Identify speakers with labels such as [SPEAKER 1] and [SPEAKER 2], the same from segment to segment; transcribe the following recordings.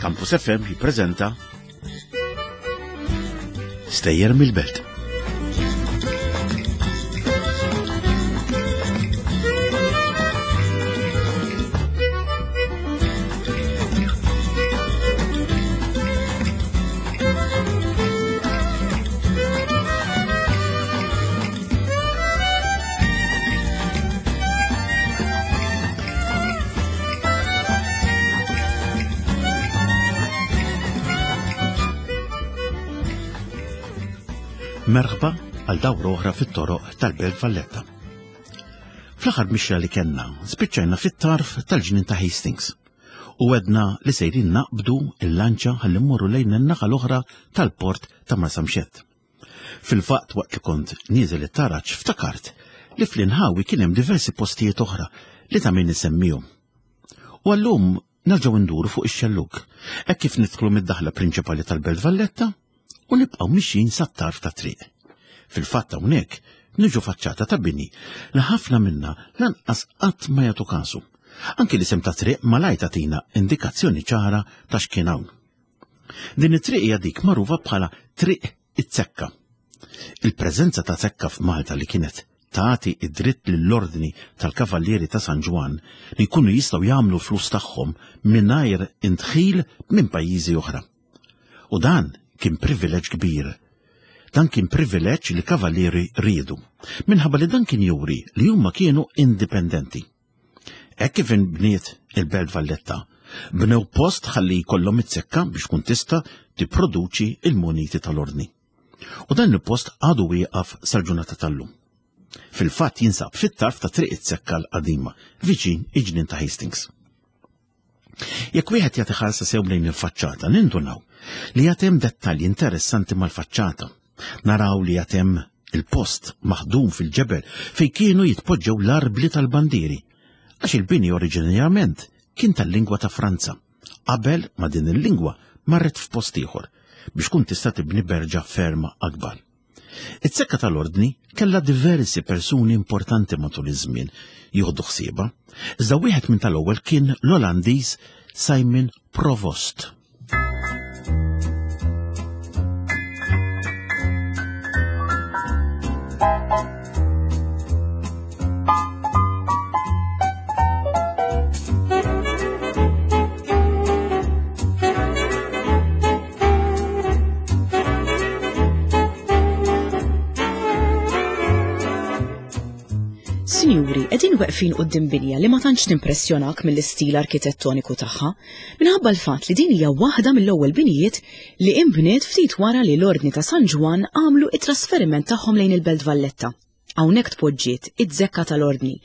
[SPEAKER 1] Campus FM jippreżenta Stejjer mill-Belt. Merħba għal dawra oħra fit-toroq tal-Belt Valletta. Fl-aħħar mixja li kellna, spiċċajna fit-tarf tal-ġnien ta' Hastings u għedna li sejrin naqbdu il-lanċa ħalli mmorru lejn in-naħa l-oħra tal-port ta' Marsamxett. Fil-fatt waqt li kont nieżel it-taraġ ftakart li fl-inħawi kien hemm diversi postijiet oħra li ta' min isemmihom. U għallum nerġgħu nduru fuq ix-xellug, hekk kif nidħlu mid-daħla prinċipali tal-Belt Valletta u nibqgħu mixjin sat-tarf ta' triq. Fil-fatt hawnhekk niġu faċċata ta' bini li ħafna minna lanqas qatt ma jagħtu kasu. Anki l-isem ta' triq malajr tagħtina indikazzjoni ċara ta' x'kien hawn. Din it-triq hija dik magħrufa bħala Triq it-Zekka. Il-preżenza ta' zekka f'Malta li kienet tagħti id-dritt lill-Ordni tal-Kavallieri ta' San Ġwann li jkunu jistgħu jagħmlu flus tagħhom mingħajr indħil minn pajjiżi oħra. U dan kien privileġġ kbir. Dan kien privileġġ li kavallieri riedu, minħabba li dan kien juri li huma kienu indipendenti. Hekk kif inbniet il-Belt Valletta, bnew post ħalli jkollhom it-zekka biex tkun tista' tipproduċi il-muniti tal-ordni. U dan il-post għadu wieqaf sal-ġurnata tal-lum. Fil-fatt jinsab fit-tarf ta' Triq it-Zekka l-qadima, viċin il-ġnien ta' Hastings. Jekk wieħed jagħti ħarsa sew lejn il-faċċata, nindunaw li għad hemm dettalji interessanti mal-faċċata. Naraw li għad hemm il-post maħdum fil-ġebel fejn kienu jitpoġġew l-arbli tal-bandieri, għax il-bini oriġinarjament kien tal-lingwa ta' Franza, qabel ma din il-lingwa marret f'post ieħor biex tkun tista' tibni berġa ferm akbar. Iz-zekka tal-Ordni kellha diversi persuni importanti matul iż-żmien jieħdu ħsiebha, iżda wieħed minn tal-ewwel kien l-Olandiż Simon Provost.
[SPEAKER 2] Sinjuri, qegħdin weqfin quddiem binja li ma tantx timpressjonak mill-istil arkitettoniku tagħha, minħabba l-fatt li din hija waħda mill-ewwel binijiet li inbniet ftit wara li l-Ordni ta' San Ġwann għamlu it-trasferiment tagħhom lejn il-Belt Valletta. Hawnhekk tpoġġiet iz-zekka tal-Ordni.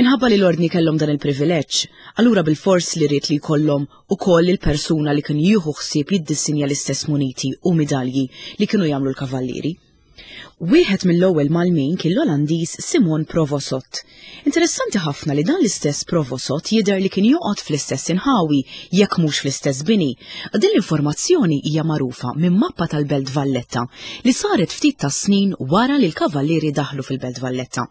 [SPEAKER 2] Minħabba li l-Ordni kellhom dan il-privileġġ, allura bilfors li ried li jkollhom ukoll il-persuna li kien jieħu ħsieb jiddissinja l-istess muniti u midalji li kienu jagħmlu l-kavallieri. Wieħed mill-ewwel mgħallmin kien l-Olandiż Simon Provosot. Interessanti ħafna li dan l-istess Provosot jidher li kien joqgħod fl-istess inħawi, jekk mhux fl-istess bini. Din l-informazzjoni hija magħrufa minn mappa tal-Belt Valletta li saret ftit tas-snin wara li l-Kavallieri daħlu fil-Belt Valletta.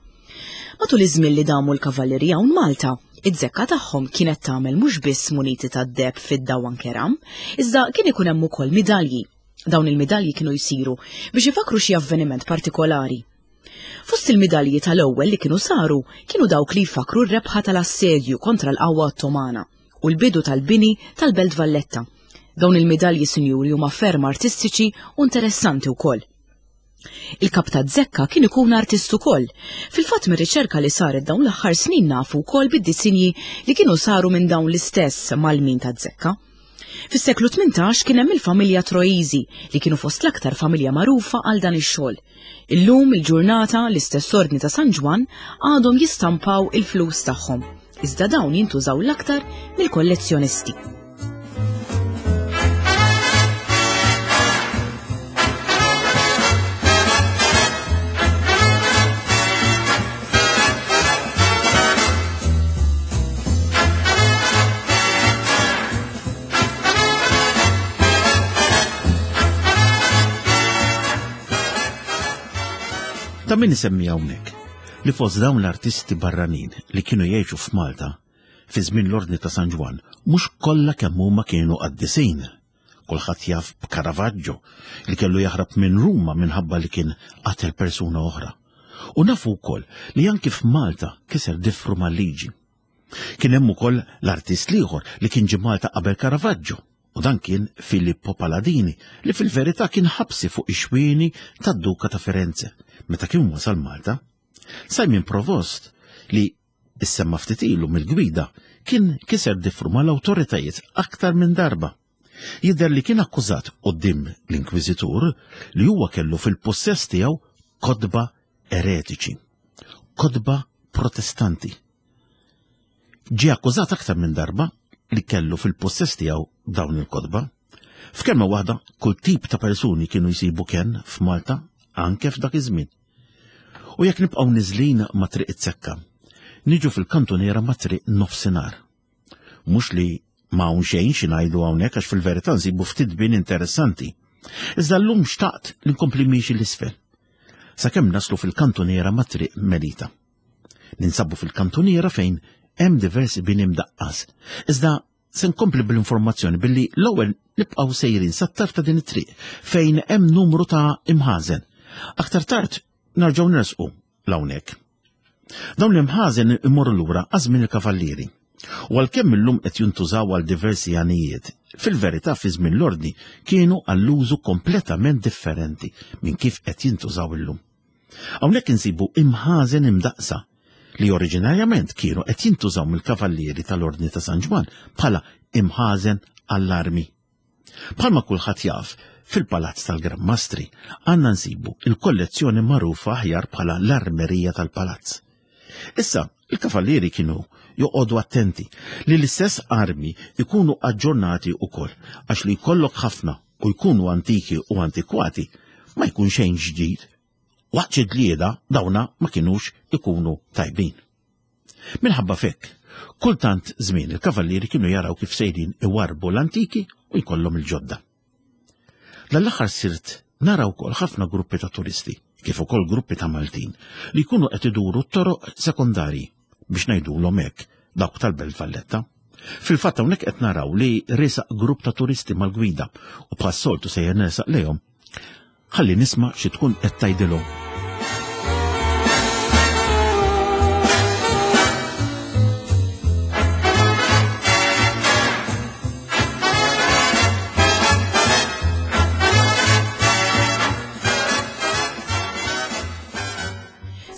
[SPEAKER 2] Matul iż-żmien li damu l-Kavallieri hawn Malta, iz-zekka tagħhom kienet tagħmel mhux biss muniti tad-deheb, fidda u anke ram, iżda kien ikun hemm ukoll midalji. Dawn il-midalji kienu jsiru biex ifakkru xi avveniment partikolari. Fost il-midalji tal-ewwel li kienu saru kienu dawk li jfakkru r-rebħa tal-assedju kontra l-qawwa Ottomana u l-bidu tal-bini tal-Belt Valletta. Dawn il-midalji sinjuri huma ferm artistiċi u interessanti wkoll. Il-kap ta' Zekka kien ikun artist ukoll. Fil-fatt mir-riċerka li saret dawn l-aħħar snin nafu wkoll bid-disinji li kienu saru minn dawn l-istess malmin ta' Zekka. Fis-seklu 18 kien hemm il-familja Troisi li kienu fost l-aktar familja magħrufa għal dan ix-xogħol. Illum il-ġurnata l-istess ordni ta' San Ġwann għadhom jistampaw il-flus tagħhom. Iżda dawn jintużaw l-aktar mill-kollezzjonisti.
[SPEAKER 1] Ta' min isemmi hawnhekk li fost dawn l-artisti barranin li kienu jgħixu f'Malta, fi żmien l-Ordni ta' San Ġwann mhux kollha kemm huma kienu qaddisin. Kulħadd jaf b'Caravaggio li kellu jaħrab minn Ruma minħabba li kien qatel persuna oħra. U nafu wkoll li anki f'Malta kiser difru mal-liġi. Kien hemm ukoll l-artist l-ieħor li kien ġie Malta qabel Caravaggio, u dan kien Filippo Paladini li fil-verità kien ħabsi fuq ix-xwieni tad-Duka ta' Firenze meta kien wasal Malta. Simon Provost li issemma ftit ilu mill-gwida kien kiser difru mal-awtoritajiet aktar minn darba. Jidher li kien akkużat quddiem l-Inkwiżitur li huwa kellu fil-pussess tiegħu kotba eretiċi, kotba protestanti. Ġie akkużat aktar minn darba li kellu fil-pussess tiegħu dawn il-kotba. F'kelma waħda, kull tip ta' persuni kienu jsibu kenn f'Malta anke f'dak iż-żmien. U jekk nibqgħu niżlin ma' Triq it-Zekka, niġu fil-kantuniera ma' Triq Nofsinhar. Mhux li ma hawn xejn xi ngħidu hawnhekk għax fil-verità nsibu ftit bin interessanti. Iżda llum xtaqt li nkompli miexi l-isfel. Sakemm naslu fil-kantuniera ma' Triq Melita. Ninsabu fil-kantuniera fejn hemm diversi bini mdaqqas. Iżda se nkompli bl-informazzjoni billi l-ewwel nibqgħu sejrin sat-tarf ta' din it-triq fejn hemm numru ta' imħażen. Aktar tard narġgħu nersqu l-hawnhekk. Dawn l-imħażen imorru lura għaż-żmien il-kavallieri. U għalkemm illum qed jintużaw għal diversi għanijiet, fil-verità fi żmien l-ordni kienu għall-użu kompletament differenti minn kif qed jintużaw illum. Hawnhekk insibu imħażen imdaqqsa li oriġinarjament kienu qed jintużaw mill-kavallieri tal-Ordni ta' San Ġwann bħala imħażen għall-armi. Bħalma kulħadd jaf, fil-Palazz tal-Gran Mastri għandna nsibu il-kollezzjoni magħrufa aħjar bħala l-armerija tal-palazz. Issa, il-kavallieri kienu joqogħdu attenti li l-istess armi jkunu aġġornati wkoll għax li jkollok ħafna u jkunu antiki u antikwati ma jkun xejn ġdid. Waqt xi ġlieda dawna ma kinux ikunu tajbin. Minħabba f'hekk, kultant żmien il-kavallieri kienu jaraw kif sejrin iwarrbu l-antiki u jkollhom il-ġodda. Dan l-aħħar sirt nara wkoll ħafna gruppi ta' turisti, kif ukoll gruppi ta' Maltin, li jkunu qed iduru t-toroq sekondarji, biex ngħidulhom hekk, dawk tal-Belt Valletta. Fil-fatt hawnhekk qed naraw li resaq grupp ta' turisti mal-gwida u bħas-soltu sejjer nersaq lejhom. Ħalli nisma' xi tkun qed tgħidilhom.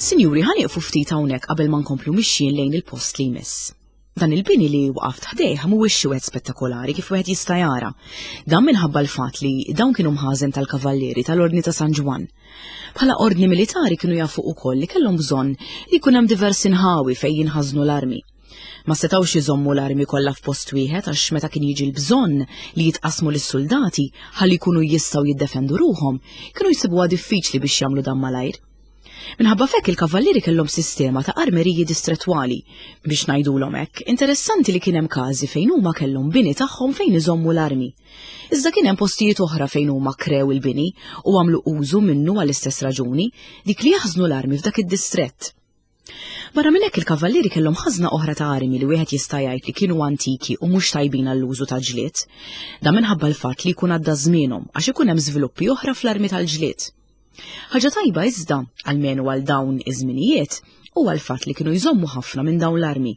[SPEAKER 2] Sinjuri, ħa nieqfu ftit hawnhekk qabel ma nkomplu mixjin lejn il-post li jmiss. Dan il-bini li waqaft ħdejh mhuwiex xi wieħed spettakolari kif wieħed jista' jara. Dan minħabba l-fatt li dawn kienu mħażen tal-kavallieri tal-Ordni ta' San Ġwann. Bħala ordni militari kienu jafu wkoll li kellhom bżonn li jkun hemm diversi nħawi fejn jinħażnu l-armi. Ma setgħux iżommu l-armi kollha f'post wieħed għax meta kien jiġi l-bżonn li jitqassmu lis-suldati ħalli jkunu jistgħu jiddefendu ruħhom, kienu jsibuha diffiċli biex jagħmlu dan malajr. Minħabba f'hekk il-kavallieri kellhom sistema ta' armeriji distrettwali, biex ngħidulhom hekk. Interessanti li kien hemm każi fejn huma kellhom bini tagħhom fejn iżommu l-armi. Iżda kien hemm postijiet oħra fejn huma krew il-bini u għamlu użu minnu għall-istess raġuni, dik li jaħżnu l-armi f'dak id-distrett. Barra minn hekk il-kavallieri kellhom ħażna oħra ta' armi li wieħed jista' jgħid li kienu antiki u mhux tajbin għall-użu ta' ġlied. Dan minħabba l-fatt li jkun għadda żmienhom għax ikun hemm żviluppi oħra fl-armi tal-ġlied. Ħaġa tajba iżda, almenu għal dawn iż-żminijiet, huwa l-fatt li kienu jżommu ħafna minn dawn l-armi.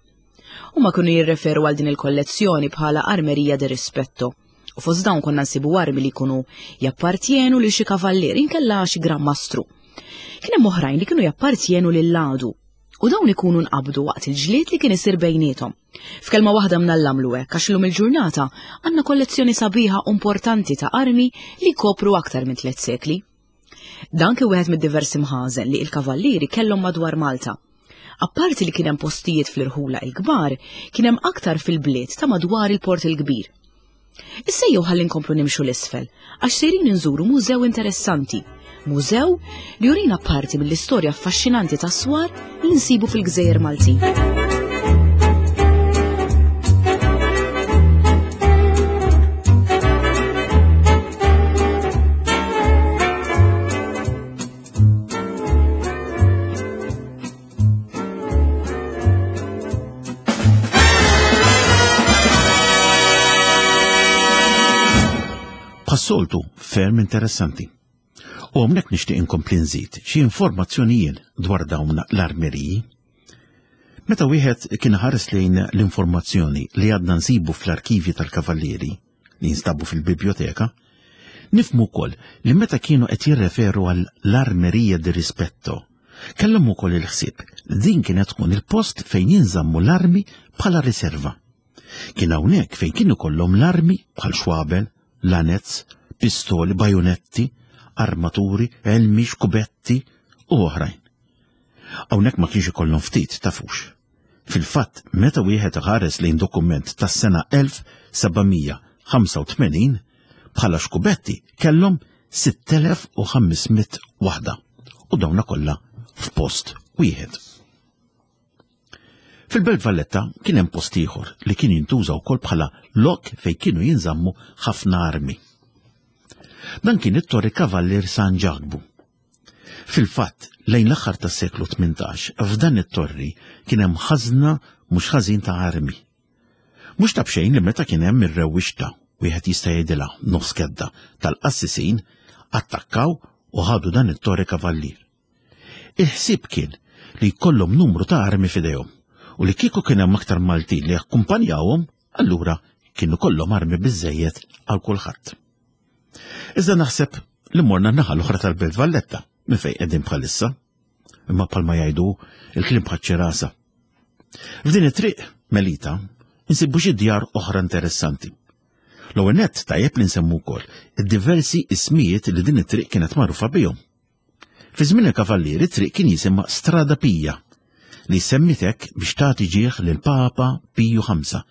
[SPEAKER 2] Huma kienu jirreferu għal din il-kollezzjoni bħala armerija de rispetto. U fost dawn konna nsibu armi li jkunu jappartjenu lil xi kavallier inkella xi gran mastru. Kien hemm oħrajn li kienu jappartjenu lil għadu u dawn ikunu nqabdu waqt il-ġlied li kien isir bejniethom. F'kelma waħda mnallamlu hekk għax illum il-ġurnata għandna kollezzjoni sabiħa u importanti ta' armi li jkopru aktar minn tliet sekli. Dan kien wieħed mid-diversi mħażen li l-kavallieri kellhom madwar Malta. Apparti li kien hemm postijiet fl-irħula il-kbar, kien hemm aktar fil-bliet ta' madwar il-Port il-Kbir. Issa jew ħalli nkomplu nimxu l-isfel, għax sejrin inżuru mużew interessanti. Mużew li jurina parti mill-istorja affaxxinanti tas-swar li nsibu fil-Gżejjer Maltin.
[SPEAKER 1] Bħas-soltu ferm interessanti. U hawnhekk nixtieq inkompli nżid xi informazzjonijiet dwar dawn l-armeriji. Meta wieħed kien ħares lejn l-informazzjoni li għadna nsibu fl-arkivji tal-Kavallieri li jinstabu fil-biblioteka, nifhmu wkoll li meta kienu qed jirreferu għal l-armerija di rispetto, kellhom ukoll il-ħsieb li din kienet tkun il-post fejn jinżammu l-armi bħala riserva. Kien hawnhekk fejn kienu kollhom l-armi bħal xwabel, lanez, pistoli, bajonetti, armaturi, elmi, xkubetti u oħrajn. Hawnhekk ma kienx ikollhom ftit tafux. Fil-fatt, meta wieħed iħares lejn dokument tas-sena 1785 bħala xkubetti kellhom 6500 waħda u dawna kollha f'post wieħed. Fil-Belt Valletta kien hemm post ieħor li kien jintuża wkoll bħala lok fejn kienu jinżammu ħafna armi. Dan kien it-Torri Kavallier San Ġakbu. Fil-fatt, lejn l-aħħar tas-seklu 18, f'dan it-torri kien hemm ħażna mhux ħażin ta' armi. Mhux ta' b'xejn li meta kien hemm ir-rewwixta, wieħed jista' jgħidilha nofs kedda tal-qassisin, attakkaw u ħadu dan it-Torri Kavallier. Il-ħsieb kien li jkollhom numru ta' armi f'idejhom u li kieku kien hemm aktar Maltin li jakkumpanjawhom, allura kienu kollhom armi biżżejjed għal kulħadd. Iżda naħseb li morna n-naħa l-oħra tal-Belt Valletta minn fejn qegħdin bħalissa. Imma bħalma jgħidu il-kliem bħaċ-ċirasa. F'din it-triq Melita insibu xi djar oħra interessanti. L-ewwel nett tajjeb li nsemmu wkoll id-diversi ismijiet li din it-triq kienet magħrufa bihom. Fi żmien il-Kavallieri t-triq kien jisimha Strada Pija, li semmiet hekk biex tagħti ġieħ lil Papa Piju Ħamsa,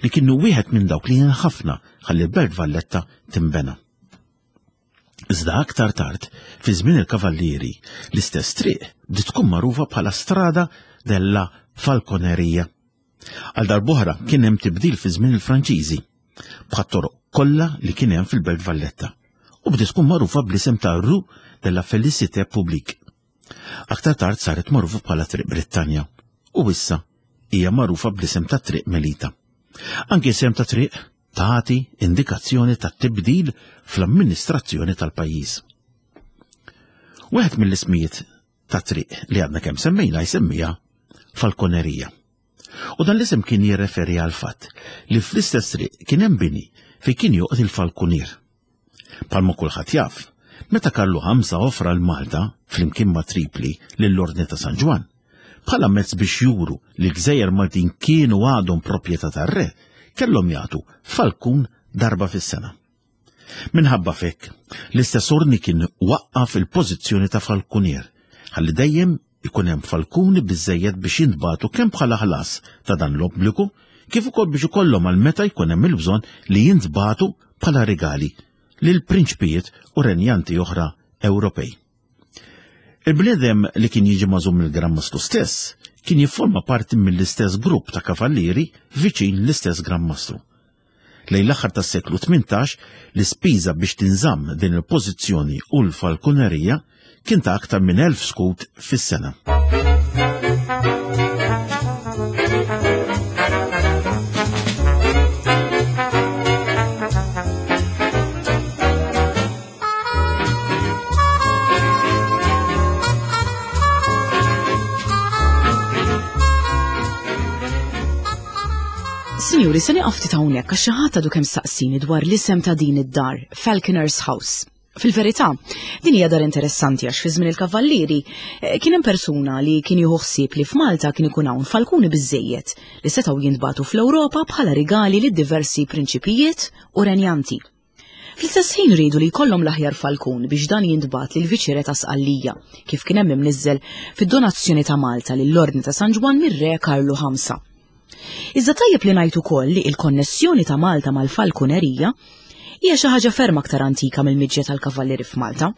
[SPEAKER 1] li kienu wieħed minn dawk li għen ħafna ħalli l-Belt Valletta tinbena. Iżda aktar tard, fi żmien il-Kavallieri, l-istess triq bdiet tkun magħrufa bħala Strada della Falconeria. Għal darb'oħra kien hemm tibdil fi żmien il-Franċiżi, bħat-toroq kollha li kien hemm fil-Belt Valletta, u bdiet tkun magħrufa bl-isem ta' Rue de la Félicité Publique. Aktar tard saret magħrufa bħala Triq Brittanja u issa hija magħrufa bl-isem ta' Triq Melita. Anki isem ta' triq tagħti indikazzjoni ta' tibdil fl-amministrazzjoni tal-pajjiż. Wieħed mill-ismijiet ta' triq li għadna kemm semmejna jsemmiha Falkonerija. U dan l-isem kien jirreferi għal fatt li fl-istess triq kien hemm bini fejn kien joqgħod il-falkunier. Palma kulħadd jaf, meta Karlu Ħamsa offra l-Malta flimkien ma' Tripli lill-Ordni ta' San Ġwann, bħala mezz biex juru li l-gżejjer Maltin kienu għadhom proprjetà tar-re, kellhom jagħtu falkun darba fis-sena. Minħabba f'hekk, l-istess ordni kien waqqaf il-pożizzjoni ta' falkunier, ħalli dejjem ikun hemm falkuni biżżejjed biex jintbagħtu kemm bħala ħlas ta' dan l-obbligu, kif ukoll biex ikollhom għal meta jkun hemm il-bżonn li jintbagħtu bħala rigali lil prinċpijiet u renjanti oħra Ewropej. Il-bniedem li kien jiġi magħżul mill-Gran Mastru stess kien jifforma parti mill-istess grupp ta' kavallieri viċin l-istess Gran Mastru. Lejn l-aħħar tas-seklu 18, l-ispiża biex tinżamm din il-pożizzjoni u l-falkunerija kien ta' aktar minn 1000 skut fis-sena.
[SPEAKER 2] Sinjuri, se nieqaf ftit hawnhekk għax xi ħadd għadu kemm saqsini dwar l-isem ta' din id-dar, Falconer's House. Fil-verità, din hija dar interessanti għax fi żmien il-Kavallieri eh, kien hemm persuna li kien jieħu ħsieb li f'Malta kien ikun hawn falkuni biżejjed li setgħu jintbagħtu fl-Ewropa bħala rigali lid diversi prinċipijiet u renjanti. Fl-istess ħin riedu li jkollhom l-aħjar falkun biex dan jintbagħat lil viċi-re ta' Sqallija, kif kien hemm imniżżel fid-donazzjoni ta' Malta lill-Ordni ta' San Ġwann mir-Re Karlu Ħamsa. Iżda tajjeb li ngħid ukoll li l-konnessjoni ta' Malta mal-falkunerija hija xi ħaġa ferm aktar antika mill-miġja tal-kavallieri f'Malta.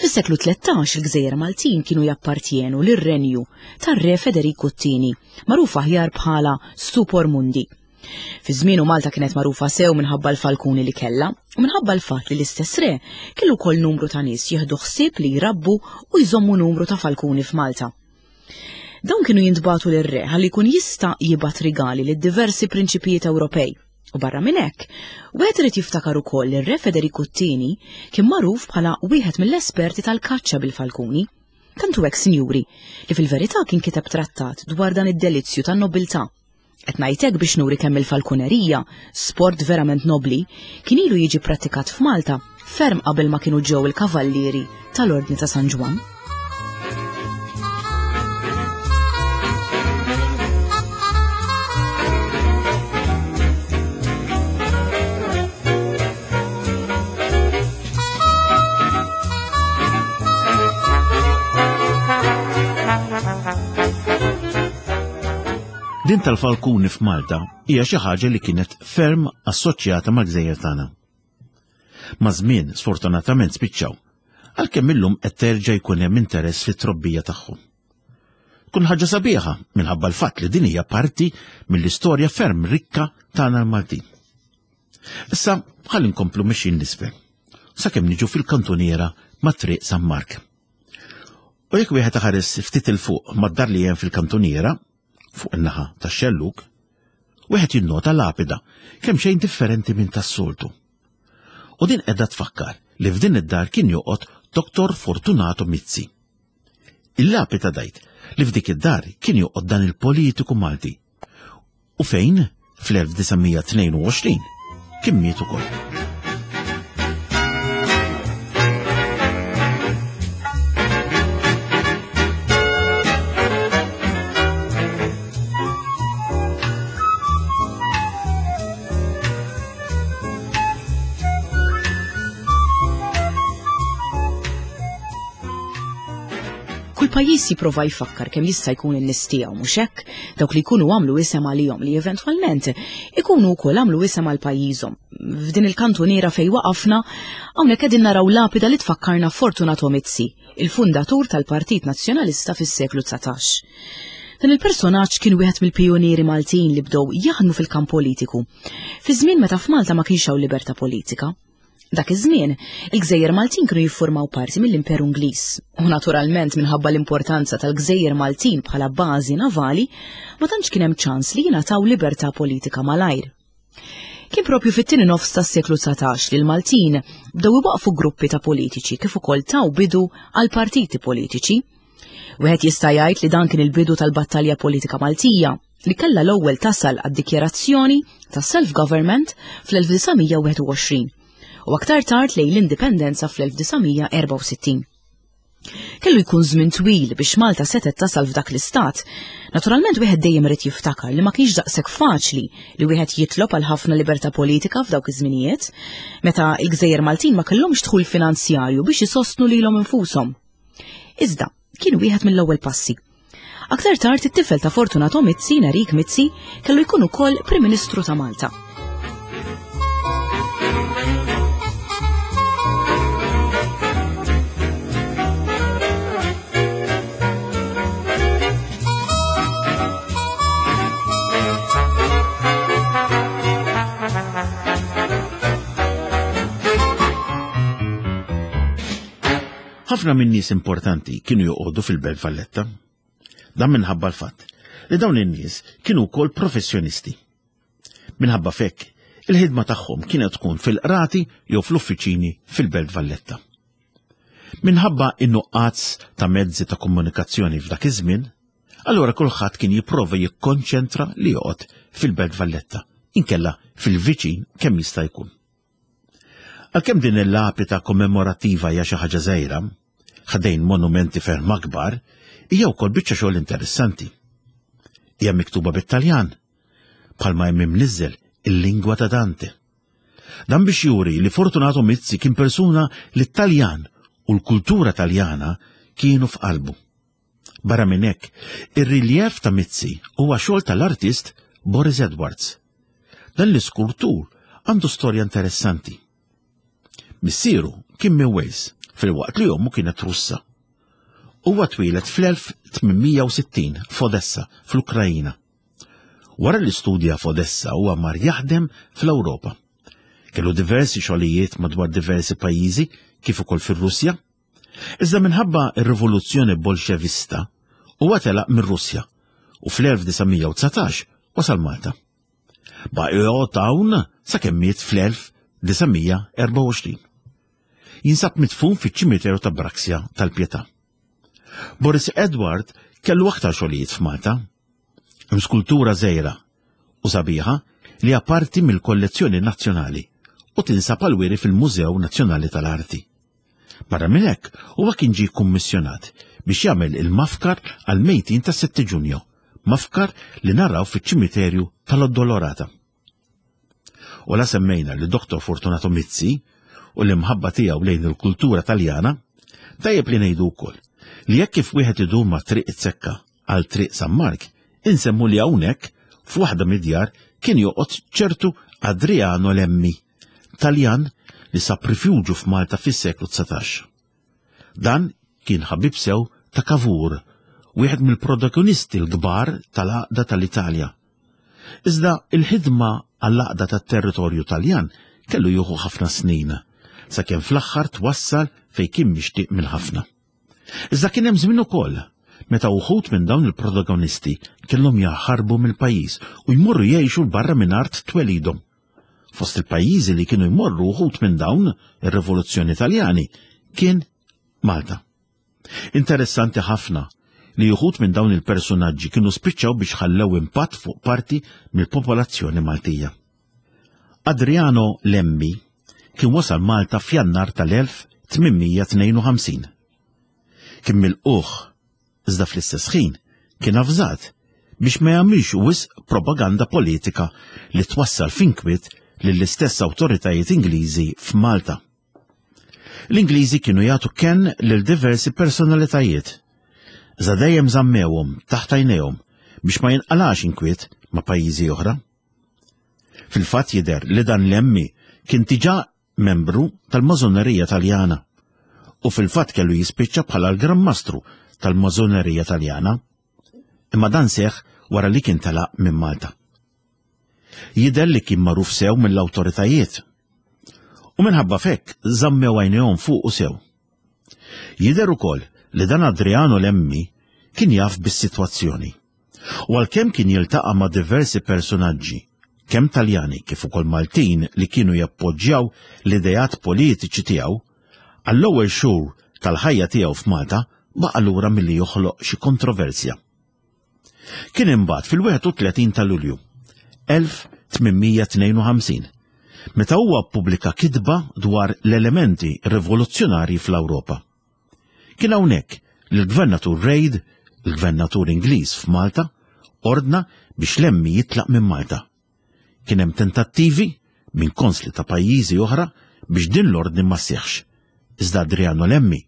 [SPEAKER 2] Fis-seklu 13 il-gżejjer Maltin kienu jappartjenu lir-renju tar-Re Federiku t-Tieni, magħruf aħjar bħala Stupor Mundi. Fi żmienu Malta kienet magħrufa sew minħabba l-falkuni li kellha u minħabba l-fatt li l-istess re kellu wkoll numru ta' nies jieħdu ħsieb li jrabbu u jżommu numru ta' falkuni f'Malta. Dawn kienu jintbagħtu lir-re ħalli jkun jista' jibgħat rigali lid diversi prinċipijiet Ewropej. U barra minn hekk, wieħed irid jiftakar ukoll li r-Re Federiku t-Tieni kien magħruf bħala wieħed mill-esperti tal-kaċċa bil-falkuni. Tant hu hekk, sinjuri, li fil-verità kien kiteb trattat dwar dan id-delizzju tan-nobiltà. Qed ngħid hekk biex nuri kemm il-falkunerija, sport verament nobbli, kien ilu jiġi prattikat f'Malta ferm qabel ma kienu ġew il-kavallieri tal-Ordni ta' San Ġwann.
[SPEAKER 1] Din tal-falkuni f'Malta hija xi ħaġa li kienet ferm assoċjata mal-gżejjer tagħna. Maż-żmien, sfortunatament spiċċaw, għalkemm illum qed terġa' jkun hemm interess fit-trobbija tagħhom. Tkun ħaġa sabiħa minħabba l-fatt li din hija parti mill-istorja ferm rikka tagħna l-Maltin. Issa ħalli nkomplu mixjin l-isfel, sakemm niġu fil-kantuniera ma' Triq San Mark. U jekk wieħed iħares ftit 'il fuq mad-dar li hemm fil-kantuniera, fuq in-naħa tax-xellug, wieħed jinnota lapida kemm xejn differenti minn tas-soltu. U din qiegħda tfakkar li f'din id-dar kien joqgħod Dr. Fortunato Mizzi. Il-lapida dajt li f'dik id-dar kien joqgħod dan il-politiku Malti u fejn fl-1922 kien miet ukoll.
[SPEAKER 2] Kull pajjiż jipprova jfakkar kemm jista' jkun in-nies tiegħu mhux hekk, dawk li jkunu għamlu isem għalihom li eventwalment ikunu wkoll għamlu isem għal pajjiżhom. F'din il-kantuniera fejn waqafna, hawnhekk qegħdin naraw lapida li tfakkarna Fortunato Mizzi, il-fundatur tal-Partit Nazzjonalista fis-seklu 19. Dan il-personaġġ kien wieħed mill-pijunieri Maltin li bdew jaħdmu fil-kamp politiku, fi żmien meta f'Malta ma kienx hawn libertà politika. Dak iż-żmien, il-gżejjer Maltin kienu jiffurmaw parti mill-Imperu Ingliż, u naturalment minħabba l-importanza tal-gżejjer Maltin bħala bażi navali, ma tantx kien hemm ċans li jingħataw libertà politika malajr. Kien propju fit-tieni nofs tas-seklu 19 li l-Maltin bdew iwaqfu gruppi ta' politiċi kif ukoll taw bidu għal partiti politiċi. Wieħed jista' jgħid li dan kien il-bidu tal-battalja politika Maltija li kellha l-ewwel tasal għad-dikjarazzjoni ta' self-government fl-1921 u aktar tard lejn l-indipendenza fl-1964. Kellu jkun żmien twil biex Malta setgħet tasal f'dak l-istat. Naturalment wieħed dejjem irid jiftakar li ma kienx daqshekk faċli li wieħed jitlob għal ħafna libertà politika f'dawk iż-żminijiet, meta l-gżejjer Maltin ma kellhomx dħul finanzjarju biex isostnu lilhom infushom. Iżda, kien wieħed mill-ewwel passi. Aktar tard it-tifel ta' Fortunato Mizzi, Nerik Mizzi, kellu jkun ukoll Prim Ministru ta' Malta.
[SPEAKER 1] Ħafna minn nies importanti kienu joqogħdu fil-Belt Valletta. Dan minħabba l-fatt li dawn in-nies kienu wkoll professjonisti. Minħabba fekk, il-ħidma tagħhom kienet tkun fil-qrati jew fl-uffiċini fil-Belt Valletta. Minħabba in-nuqqas ta' mezzi ta' komunikazzjoni f'dak iż-żmien, allura kulħadd kien jipprova jikkonċentra li joqgħod fil-Belt Valletta, inkella fil-viċin kemm jista' jkun. Għalkemm din il-lapita kommemorattiva hija xi ħaġa żgħira, ħdejn monumenti ferm akbar, hija wkoll biċċa xogħol interessanti. Hija miktuba bit-Taljan, bħalma hemm imniżżel il-lingwa ta' Dante. Dan biex juri li Fortunato Mizzi kien persuna li t-Taljan u l-kultura Taljana kienu f'qalbu. Barra minn hekk, ir-riljev ta' Mizzi huwa xogħol tal-artist Boris Edwards. Dan l-iskultur għandu storja interessanti. Missieru kien minn Wales, filwaqt li ommu kienet Russa. Huwa twieled fl-1860 f'Odessa, fl-Ukrajina. Wara li studja f'Odessa huwa mar jaħdem fl-Ewropa. Kellu diversi xogħlijiet madwar diversi pajjiżi kif ukoll fir-Russja. Iżda minħabba r-rivoluzzjoni Bolxevista, huwa telaq mir-Russja u fl-1919 wasal Malta. Baqa' joqgħod hawn sakemm miet fl-1924. Jinsab midfun fiċ-ċimiterju ta' Braxia tal-Pietà. Boris Edward kellu aktar xogħlijiet f'Malta. Hemm skultura żgħira u sabiħa li hija parti mill-kollezzjoni nazzjonali u tinsab għall-wiri fil-Mużew Nazzjonali tal-Arti. Barra minn hekk, huwa kien ġie kkummissjonat biex jagħmel il-mafkar għall-mejtin tas-7 Ġunju, mafkar li naraw fiċ-ċimiterju tal-Addolorata. U la semmejna li Dr. Fortunato Mizzi u l-imħabba tiegħu lejn il-kultura Taljana, tajjeb li ngħidu wkoll li jekk kif wieħed idur ma' Triq it-Sekka għal Triq San Mark, insemmu li hawnhekk f'waħda mid-djar kien joqgħod ċertu Adriano Lemmi, Taljan li sab rifuġju f'Malta fis-seklu 19. Dan kien ħabib sew ta' Cavour, wieħed mill-protagonisti l-kbar tal-għaqda tal-Italja. Iżda il-ħidma għall-għaqda tat-territorju Taljan kellu jieħu ħafna snin, sakemm fl-aħħar twassal fejn kien mixtieq minn ħafna. Iżda kien hemm żmien ukoll meta wħud minn dawn il-protagonisti kellhom jaħarbu mill-pajjiż u jmorru jgħixu 'l barra minn art twelidhom. Fost il-pajjiżi li kienu jmorru wħud minn dawn ir-rivoluzzjoni Taljani kien Malta. Interessanti ħafna li uħud minn dawn il-persunaġġi kienu spiċċaw biex ħallew impatt fuq parti mill-popolazzjoni Maltija. Adriano Lemmi kien wasal Malta f'Jannar tal-1852. Kien milqugħ iżda fl-istess ħin kien avżat biex ma jagħmilx wisq propaganda politika li twassal f'inkwiet lill-istess awtoritajiet Ingliżi f'Malta. L-Ingliżi kienu jagħtu kenn lil diversi personalitajiet, iżda dejjem żammewhom taħt għajnejhom biex ma jinqalax inkwiet ma' pajjiżi oħra. Fil-fatt jidher li dan l-emmi kien diġà membru tal-Mażonerija Taljana u fil-fatt kellu jispiċċa bħala l-Gran Mastru tal-Mażonerija Taljana. Imma dan seħħ wara li kien telaq minn Malta. Jidher li kien magħruf sew mill-awtoritajiet. U minħabba fekk żammew għajnejhom fuqu sew. Jidher ukoll li dan Adriano Lemmi kien jaf bis-sitwazzjoni. U għalkemm kien jiltaqa' ma' diversi persunaġġi, kemm Taljani kif ukoll Maltin li kienu jappoġġjaw l-ideat politiċi tiegħu, għall-ewwel xhur tal-ħajja tiegħu f'Malta baqa' lura milli joħloq xi kontroversja. Kien imbagħad fil-31 ta' Lulju 1852 meta huwa ppubblika kitba dwar l-elementi rivoluzzjonarji fl-Ewropa. Kien hawnhekk li l-Gvernatur Reid, il-Gvernatur Ingliż f'Malta, ordna biex Lemmy jitlaq minn Malta. Kien hemm tentattivi minn konsli ta' pajjiżi oħra biex din l-ordni ma sseħħx, iżda Adriano Lemmy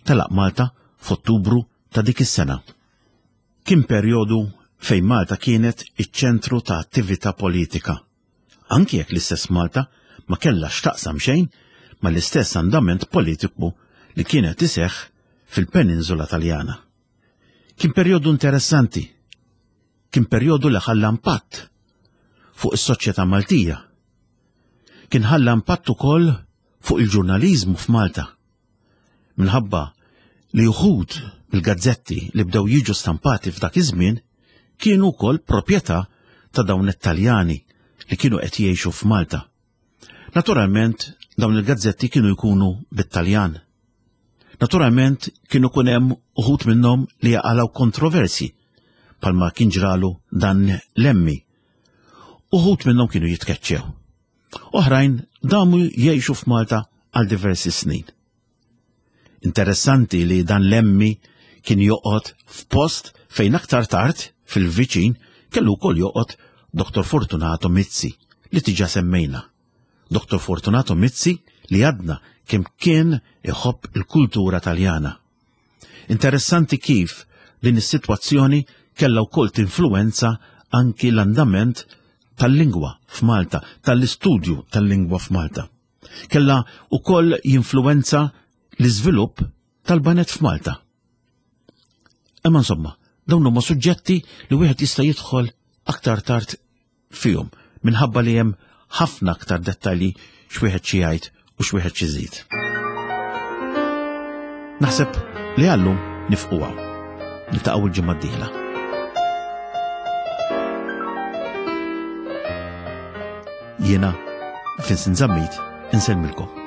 [SPEAKER 1] telaq Malta f'Ottubru ta' dik is-sena. Kien perjodu fejn Malta kienet iċ-ċentru ta' attività politika anki jekk l-istess Malta ma kellha x'taqsam xejn mal-istess andament politiku li kien qed iseħħ fil-peninsula Taljana. Kien perjodu interessanti, kien perjodu li ħalla impatt fuq is-soċjetà Maltija. Kien ħalla impatt ukoll fuq il-ġurnaliżmu f'Malta. Minħabba li uħud mill-gazzetti li bdew jiġu stampati f'dak iż-żmien kienu wkoll proprjetà ta' dawn it-Taljani li kienu qed jgħixu f'Malta. Naturalment dawn il-gazzetti kienu jkunu bit-Taljan. Naturalment kienu kun hemm uħud minnhom li jaqalgħu kontroversji palma kien ġralu dan l-emmi. Uħud minnhom kienu jitkeċċew. Oħrajn damu jgħixu f'Malta għal diversi snin. Interessanti li dan l-emmi kien joqgħod f'post fejn aktar tard fil-viċin kellu wkoll joqgħod Dr. Fortunato Mizzi li tiġa semmejna. Dr. Fortunato Mizzi li għadna kemm kien iħobb il-kultura Taljana. Interessanti kif din is-sitwazzjoni kellha wkoll tinfluwenza anki l-andament tal-lingwa f'Malta, tal-istudju tal-lingwa f'Malta. Kellha wkoll jinfluwenza l-iżvilupp tal-banet f'Malta. Imma insomma, dawn huma suġġetti li wieħed jista' jidħol aktar tard fihom minħabba li hemm ħafna aktar dettalji x'wieħed xi jgħid u x'wieħed xi żid. Naħseb li għallum nifqu hawn. Niltaqgħu l-ġimgħa d-dieħla. Jiena Vincent Zammit insellmilkom.